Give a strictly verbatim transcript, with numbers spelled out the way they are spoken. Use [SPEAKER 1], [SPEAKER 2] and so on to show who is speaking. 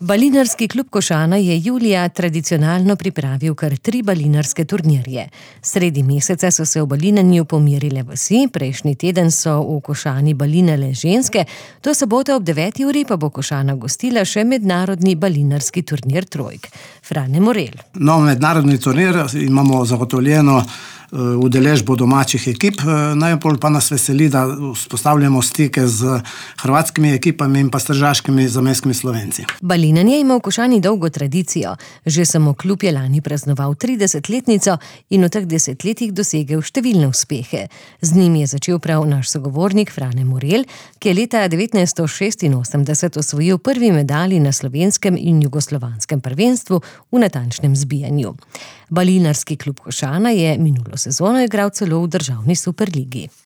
[SPEAKER 1] Balinarski klub Košana je julija tradicionalno pripravil kar tri balinarske turnirje. Sredi meseca so se v balinanju pomirile vasi, prejšnji teden so v Košani balinale ženske, do sobote ob deveti uri pa bo Košana gostila še mednarodni balinarski turnir trojk. Frane Morel.
[SPEAKER 2] No, mednarodni turnir imamo zagotovljeno udeležbo domačih ekip, najbolj pa nas veseli, da vzpostavljamo stike z hrvatskimi ekipami in pa s tržaškimi zamejskimi Slovenci.
[SPEAKER 1] Balinanje ima v Košani dolgo tradicijo. Že samo klub je lani praznoval tridesetletnico in v teh desetletjih dosegel številne uspehe. Z njim je začel prav naš sogovornik Frane Morel, ki je leta devetnajststo šestinosemdeset osvojil prvi medalji na slovenskem in jugoslovanskem prvenstvu v natančnem zbijanju. Balinarski klub Košana je minulo sezono igral celo v državni superligi.